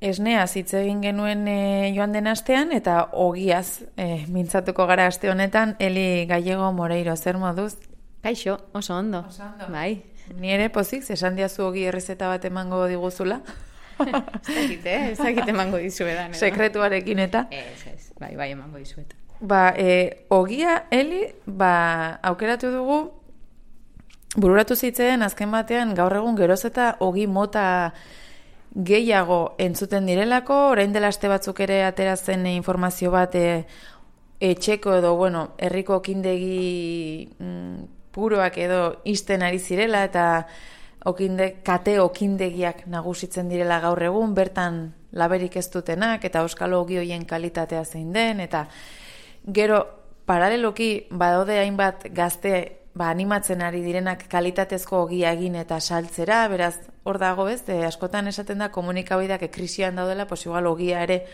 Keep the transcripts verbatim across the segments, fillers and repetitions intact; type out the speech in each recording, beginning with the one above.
esneaz hitz egin genuen e, joan den astean, eta ogiaz e, mintzatuko gara aste honetan. Eli Gallego Moreiro, zer moduz? Kaixo, oso ondo. Oso ondo. Bai. Ni ere pozik, esan diazu ogi errezeta bat emango diguzula. Ez dakit, eh? Ez dakit emango dizuetan. Edo? Sekretuarekin eta? Ez, ez, bai, bai emango dizuetan. Ba, e, ogia, Eli, ba, aukeratu dugu, bururatu zitzeen azken batean gaur egun geroz eta ogi mota gehiago entzuten direlako, orain dela aste batzuk ere ateratzen informazio bat e, etxeko edo, bueno, herriko okindegi mm, puroak edo isten ari zirela eta okinde, kate okindegiak nagusitzen direla gaur egun, bertan laberik ez dutenak eta euskal ogi hoien kalitatea zein den, eta gero paraleloki badaude hainbat gazte ba, animatzen ari direnak kalitatezko ogia egin eta saltzera, beraz, hor dago ez, e, askotan esaten da komunikabideak krisian daudela, pues igual ogia ere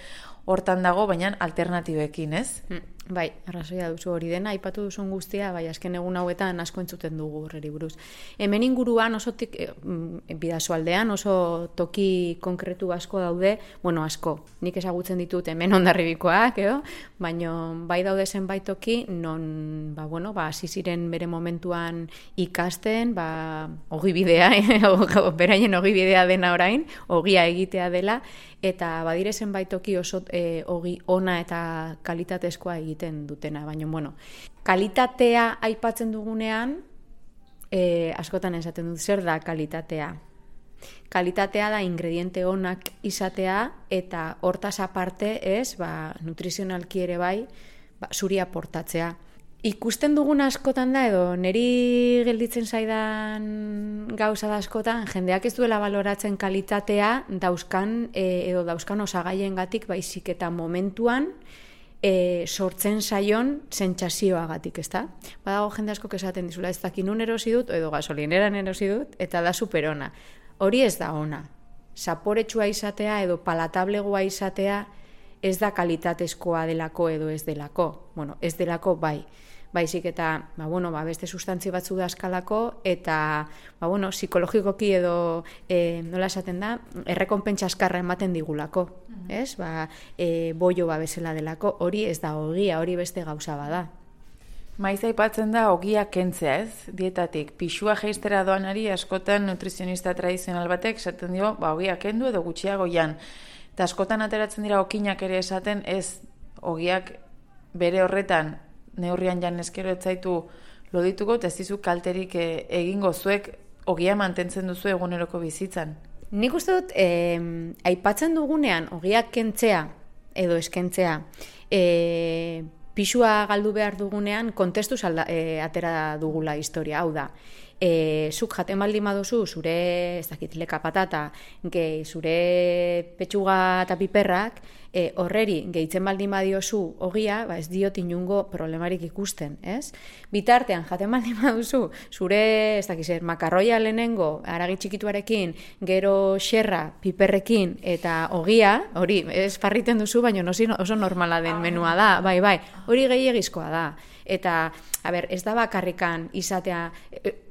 hortan dago, baina alternatibekin, ez? Mm, bai, arrazoia duzu hori dena, aipatu duzun guztia, bai, azken egun hauetan asko entzuten dugu horreri buruz. Hemen inguruan oso tik, e, bidasoaldean oso toki konkretu asko daude, bueno, asko, nik ezagutzen ditut hemen Hondarribikoak, edo, baina bai daude zenbait toki, non, ba, bueno, ba, hasi ziren bere momentuan ikasten, ba, ogibidea, beraien ogibidea dena orain, ogia egitea dela, eta badire zenbait toki oso e, ogi ona eta kalitatezkoa egiten dutena, baina, bueno, kalitatea aipatzen dugunean, e, askotan esaten dut, zer da kalitatea? Kalitatea da ingrediente onak izatea, eta hortaz aparte, ez, ba, nutrizionalki ere bai, ba, zuri aportatzea. Ikusten dugun askotan da, edo niri gelditzen zaidan gauza da askotan, jendeak ez duela baloratzen kalitatea dauzkan, e, edo dauzkan osagaiengatik baizik eta momentuan e, sortzen zaion sentsazioagatik, ezta? Badago jende asko esaten dizula, ez dakin nun erosi dut, edo gasolineran erosi dut, eta da superona. Hori ez da ona. Zaporetsua izatea edo palatablegoa izatea ez da kalitatezkoa delako edo ez delako. Bueno, ez delako bai. Baizik eta, ba, bueno, ba, beste sustantzi batzu dazkalako, eta, ba, bueno, psikologikoki edo, e, nola esaten da, errekonpentsa askarra ematen digulako, uh-huh. ez? Ba, e, boio ba bezala delako, hori ez da ogia, hori beste gauza bada. Maiz aipatzen da ogia kentzea, ez? Dietatik, pixua jeistera doanari askotan nutrizionista tradizional batek esaten dio, ba, ogia kendu edo gutxiago jan. Eta askotan ateratzen dira okinak ere esaten, ez ogiak bere horretan neurrian jan eskero etzaitu lodituko, eta ez dizu kalterik e, egingo zuek ogia mantentzen duzu eguneroko bizitzan. Nik uste dut, eh, aipatzen dugunean ogiak kentzea edo eskentzea, eh, pixua galdu behar dugunean kontestuz alda, e, atera dugula historia, hau da. E, zuk jaten baldin baduzu, zure, ez dakit, leka patata, gehi, zure petxuga eta piperrak, e, horreri gehitzen baldin badiozu ogia, ba ez diot inungo problemarik ikusten, ez? Bitartean, jaten baldin baduzu, zure, ez dakit, zer, makarroia lehenengo, aragi txikituarekin, gero xerra, piperrekin, eta ogia, hori, ez farriten duzu, baina oso normala den menua da, bai, bai, hori gehiagizkoa da. Eta, a ber, ez da bakarrikan izatea,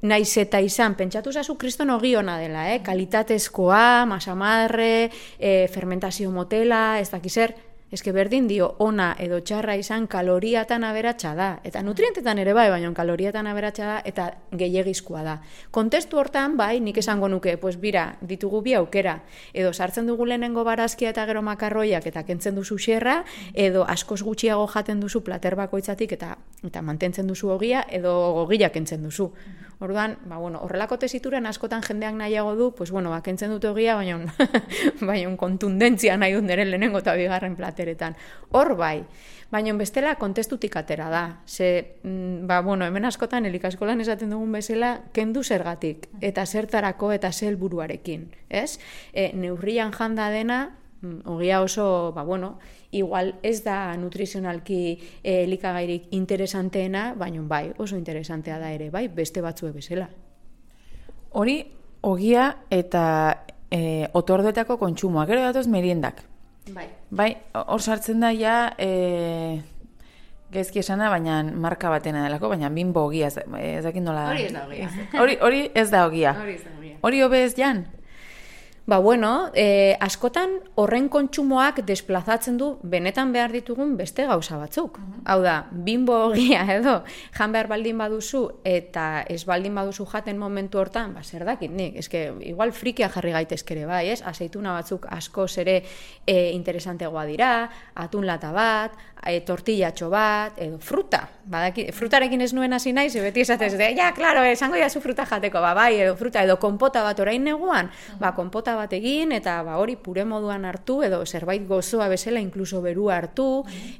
naiz eta izan, pentsatu zazu kriston ogi ona dela, eh? Kalitatezkoa, masamarre, eh, fermentazio motela, ez dakiz zer, eske berdin dio ona edo txarra izan kaloriatan aberatsa da. Eta nutrientetan ere bai, baina kaloriatan aberatsa da eta gehiegizkoa da. Kontestu hortan, bai, nik esango nuke, pues bira, ditugu bi aukera. Edo sartzen dugu lehenengo barazkia eta gero makarroiak eta kentzen duzu xerra, edo askoz gutxiago jaten duzu plater bakoitzatik eta eta mantentzen duzu ogia, edo ogia kentzen duzu. Orduan, ba, bueno, horrelako tesituran askotan jendeak nahiago du, pues bueno, ba, kentzen dute ogia, baina baina kontundentzia nahi dut nire lehenengo eta bigarren plateretan. Hor bai, baina bestela kontestutik atera da. Ze, ba, bueno, hemen askotan elikaskolan esaten dugun bezala, kendu zergatik, eta zertarako eta zer helburuarekin, ez? E, neurrian janda dena, ogia oso, ba, bueno, igual ez da nutrizionalki eh, elikagairik interesanteena, baina bai, oso interesantea da ere, bai, beste batzue bezala. Hori, ogia eta e, otorduetako kontsumoa, gero datoz meriendak. Bai. Bai, hor sartzen da ja, e, gezki esana, baina marka batena delako, baina Bimbo ogia, ez dakit nola da. Hori ez da ogia. Hori, hori ez da ogia. Hori ez da ogia. Hori hobe ez jan? Ba, bueno, e, askotan horren kontsumoak desplazatzen du benetan behar ditugun beste gauza batzuk. Uh-huh. Hau da, bimbo ogia edo jan behar baldin baduzu eta ez baldin baduzu jaten momentu hortan, ba, zer dakit nik, eske, igual frikia jarri gaitezkere bai, ez? Azeituna batzuk askoz ere e, interesantegoa dira, atun lata bat, e, tortillatxo bat, edo fruta. Badaki, frutarekin ez nuen hasi naiz, beti esatez, de, ja, klaro, esango jazu fruta jateko, ba, bai, edo fruta, edo konpota bat orain neguan, ba, konpota bat egin, eta ba, hori pure moduan hartu, edo zerbait gozoa bezala, inkluso beru hartu,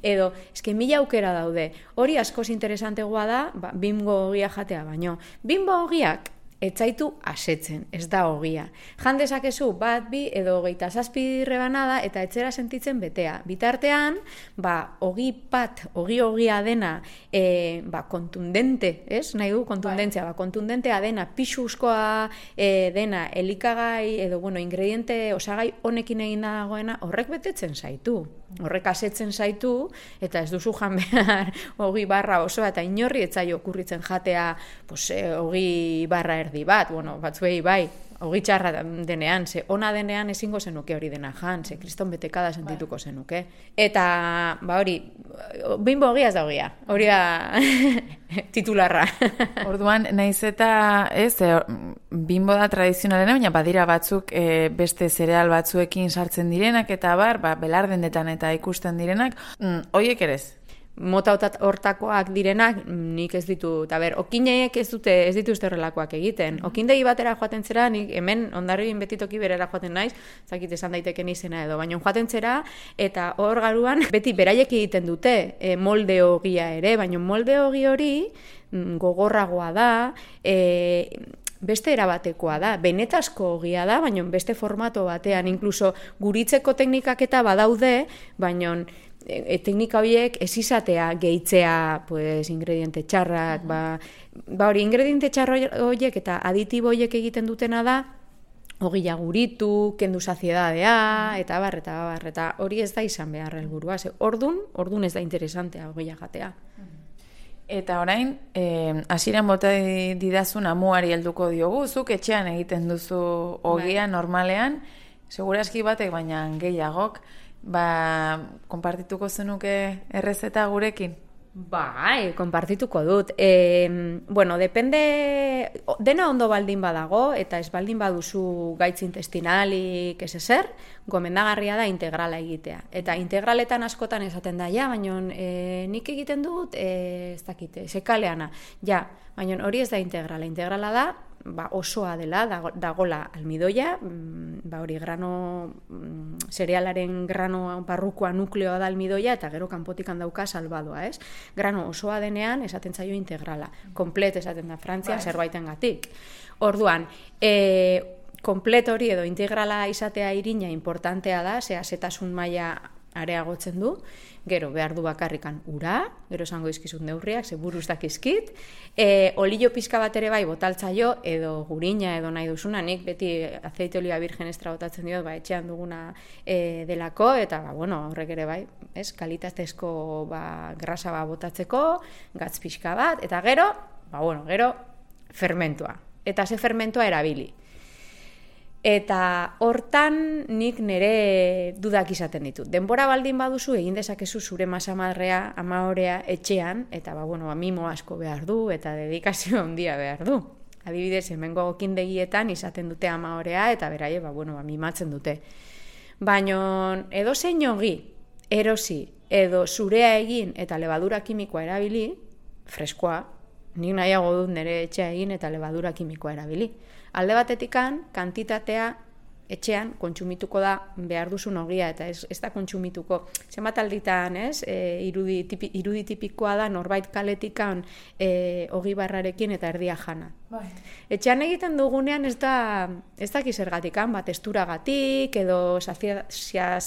edo, eske mila aukera daude. Hori askoz interesantegoa da, ba, bimbo ogia jatea baino. Bimbo ogiak, etzaitu asetzen, ez da ogia. Jan dezakezu bat, bi, edo hogeita zazpi rebanada, eta etzera sentitzen betea. Bitartean, ba, ogi pat, ogi ogia dena, e, ba, kontundente, ez? Nahi du kontundentzia, ba, kontundentea dena, pixuzkoa e, dena, elikagai, edo, bueno, ingrediente, osagai honekin egin dagoena, horrek betetzen zaitu. Horrek asetzen zaitu, eta ez duzu jan behar ogi barra osoa, eta inorri etzaio okurritzen jatea, pues, e, ogi barra erdi bat, bueno, batzuei bai, ogi txarra denean, ze ona denean ezingo zenuke hori dena jan, ze kriston betekada sentituko zenuke. Eta, ba hori, bimbo ogia ez da ogia, hori da titularra. Orduan, naiz eta, ez, e, bimbo da tradizionalena, baina badira batzuk e, beste zereal batzuekin sartzen direnak, eta bar, ba, belardendetan eta ikusten direnak, mm, hoiek ere ez? Mota hortakoak direnak, nik ez ditu, eta ber, okineek ez dute, ez dituzte horrelakoak egiten. Okindegi batera joaten zera, nik hemen ondarribin betitoki berera joaten naiz, zakit esan daiteken izena edo, baina joaten zera, eta hor garuan beti beraiek egiten dute e, molde ogia ere, baina molde ogi hori gogorragoa da, e, beste erabatekoa da, benetazko ogia da, baina beste formato batean, inkluso guritzeko teknikak eta badaude, baina E, teknika horiek ez izatea gehitzea pues, ingrediente txarrak, ba, ba hori, ingrediente txarra horiek eta aditibo horiek egiten dutena da, ogia guritu, kendu saziedadea, eta bar, eta bar, eta hori ez da izan behar helburua. Ordun, ordun ez da interesantea ogia jatea. Eta orain, eh, hasieran bota didazun amuari helduko diogu, zuk etxean egiten duzu ogia normalean, seguraski batek baina gehiagok, ba, konpartituko zenuke errezeta gurekin? Bai, konpartituko dut. E, bueno, depende, dena ondo baldin badago, eta ez baldin baduzu gaitz intestinalik ez ezer, gomendagarria da integrala egitea. Eta integraletan askotan esaten da, ja, baina e, nik egiten dut, e, ez dakite, sekaleana. Ja, baina hori ez da integrala. Integrala da, ba, osoa dela, dagola almidoia, ba, hori grano, zerealaren grano barrukoa nukleoa da almidoia, eta gero kanpotikan dauka salbadoa, ez? Grano osoa denean, esaten zaio integrala. Komplet esaten da Frantzia, bai, zerbaitengatik. Orduan, e, komplet hori edo integrala izatea irina importantea da, ze azetasun maila areagotzen du, gero behar du bakarrikan ura, gero esango izkizun neurriak, ze buruz dakizkit, e, olio pizka bat ere bai botaltzaio, edo gurina edo nahi duzuna, nik beti azeite olia virgen extra botatzen diot, ba, etxean duguna e, delako, eta ba, bueno, horrek ere bai, ez, kalitatezko ba, grasa ba, botatzeko, gatz pixka bat, eta gero, ba, bueno, gero, fermentua. Eta ze fermentua erabili. Eta hortan nik nire dudak izaten ditut. Denbora baldin baduzu egin dezakezu zure masamadrea, amaorea etxean, eta ba, bueno, mimo asko behar du, eta dedikazio handia behar du. Adibidez, hemengo okindegietan izaten dute amaorea, eta beraie, ba, bueno, ba, mimatzen dute. Baina edo zein ogi, erosi, edo zurea egin eta lebadura kimikoa erabili, freskoa, nik nahiago dut nire etxea egin eta lebadura kimikoa erabili. Alde batetikan, kantitatea etxean kontsumituko da behar duzun ogia, eta ez, ez da kontsumituko. Zenbat alditan, ez, e, irudi, tipi, irudi tipikoa da norbait kaletikan e, ogi barrarekin eta erdia jana. Bai. Etxean egiten dugunean ez da, ez da kizergatikan, bat esturagatik, edo sazietatea,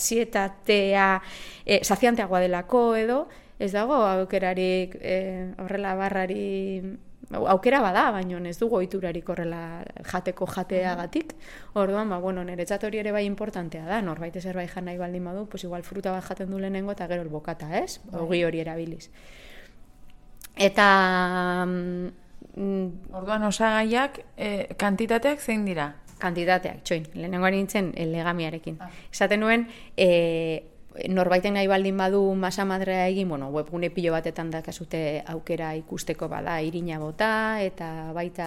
e, sazianteagoa delako edo, ez dago aukerarik e, horrela barrari aukera bada, baina ez dugu ohiturarik horrela jateko jateagatik. Orduan, ba, bueno, niretzat hori ere bai importantea da, norbait zerbait jan nahi baldin badu, pues igual fruta bat jaten du lehenengo eta gero el bokata, ez? Ogi hori erabiliz. Eta... Mm, orduan, osagaiak, eh, kantitateak zein dira? Kantitateak, txoin, lehenengo nintzen e, legamiarekin. Ah. Esaten nuen, e, norbaiten nahi baldin badu masa madrea egin, bueno, webgune pilo batetan dakazute aukera ikusteko bada irina bota, eta baita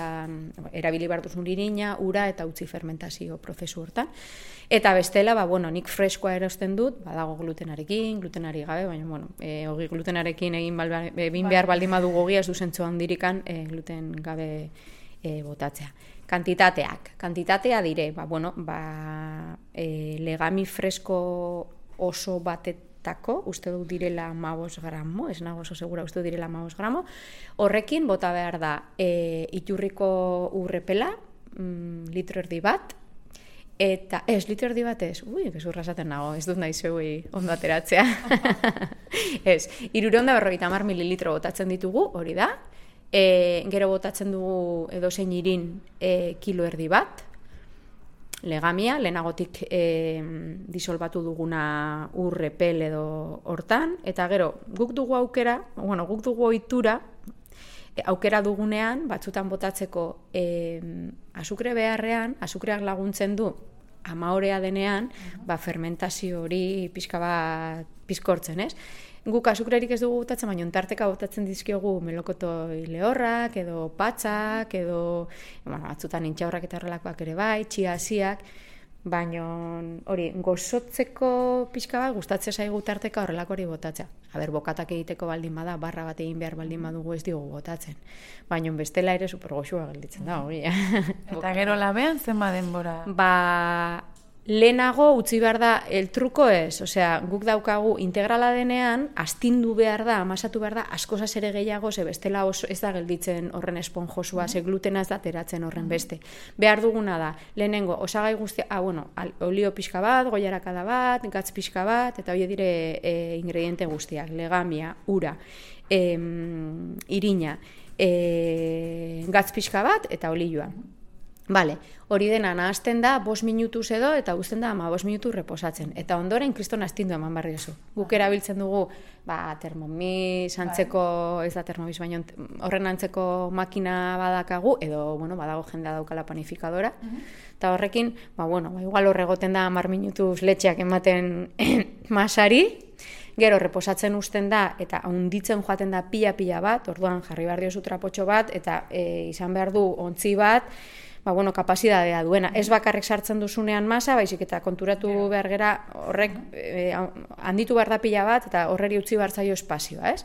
erabili behar duzun irina, ura eta utzi fermentazio prozesu hortan. Eta bestela, ba, bueno, nik freskoa erosten dut, badago glutenarekin, glutenari gabe, baina, bueno, e, ogi glutenarekin egin, balba, egin behar baldin badu gogia, ez du zentzu handirikan e, gluten gabe e, botatzea. Kantitateak, kantitatea dire, ba, bueno, ba, e, legami fresko oso batetako, uste dut direla amabos gramo, ez nago oso segura, uste dut direla amabos gramo, horrekin bota behar da e, iturriko urrepela, mm, litro erdi bat, eta, ez, litro erdi bat ez, ui, gezurra esaten nago, ez dut nahi zeui ondo ateratzea. Ez, irureunda berrogeita hamar mililitro botatzen ditugu, hori da, e, gero botatzen dugu edozein irin e, kilo erdi bat, legamia, lehenagotik e, disolbatu duguna urrepel edo hortan, eta gero, guk dugu aukera, bueno, guk dugu ohitura, e, aukera dugunean, batzutan botatzeko e, azukre beharrean, azukreak laguntzen du, amaorea denean, ba, fermentazio hori pixka bat pizkortzen, ez? Guk azukrerik ez dugu botatzen, baina ontarteka botatzen dizkiogu melokotoi lehorrak, edo patzak, edo bueno, batzutan intxaurrak eta horrelakoak ere bai, txiasiak, baina hori, gozotzeko pixka bat, gustatzea zaigu tarteka horrelako hori botatzea. Aber, bokatak egiteko baldin bada, barra bat egin behar baldin badugu ez diogu botatzen. Baina bestela ere super goxua gelditzen da, hori. Eta gero labean zenba denbora? Ba, lehenago utzi behar da, el truko ez, osea, guk daukagu integrala denean, astindu behar da, amasatu behar da, askozaz ere gehiago, ze bestela oso ez da gelditzen horren esponjosua, ze glutena ez da teratzen horren beste. Behar duguna da, lehenengo, osagai guztia, ah, bueno, olio pixka bat, goiarakada bat, gatz pixka bat, eta hori dire e, ingrediente guztiak, legamia, ura, e, irina, e, gatz pixka bat, eta olioa. Vale, hori dena nahazten da bost minutuz edo eta uzten da ama bost minutu reposatzen. Eta ondoren kriston astindu eman barri oso. Guk erabiltzen dugu ba, termomis antzeko, ez da termomis, baina horren antzeko makina badakagu, edo bueno, badago jendea daukala panifikadora. Eta horrekin, ba, bueno, ba, igual horregoten da hamar minutuz letxeak ematen masari, gero reposatzen uzten da eta hunditzen joaten da pila-pila bat, orduan jarri behar diozu trapotxo bat, eta e, izan behar du ontzi bat, ba, bueno, kapazidadea duena. Ez bakarrik sartzen duzunean masa, baizik eta konturatu behar gera horrek e, handitu behar da pila bat, eta horreri utzi behar zaio espazioa, ez?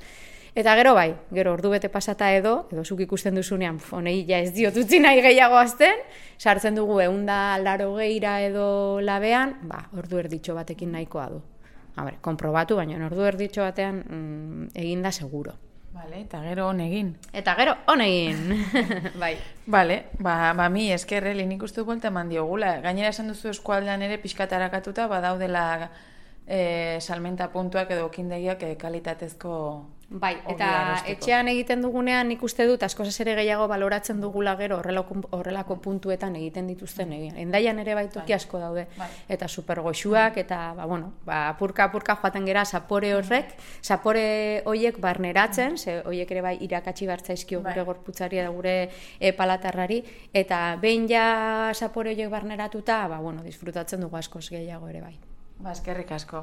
Eta gero bai, gero ordu bete pasata edo, edo zuk ikusten duzunean, honei ja ez diot utzi nahi gehiago azten, sartzen dugu ehunda laurogeira edo labean, ba, ordu erditxo batekin nahikoa du. Haber, konprobatu, baina ordu erditxo batean mm, egin da seguro. Vale, eta gero hon egin. Eta gero hon egin. Bai. Vale, ba, ba mi eskerreli nik uste buelta eman diogula. Gainera esan duzu eskualdean ere pixkatarakatuta, badaudela e, salmenta puntuak edo okindegiak e, kalitatezko. Bai, eta etxean egiten dugunean nik uste dut askozaz ere gehiago baloratzen dugula gero horrelako, horrelako puntuetan egiten dituzten egin. Endaian ere baituki asko daude. Bai. Eta supergoxuak, eta ba, bueno, ba, apurka-apurka joaten gera zapore horrek, zapore hoiek barneratzen, ze hoiek ere bai irakatsi bartzaizkio gure gorputzari eta gure e, palatarrari, eta behin ja zapore hoiek barneratuta, ba, bueno, disfrutatzen dugu askoz gehiago ere bai. Ba, eskerrik asko.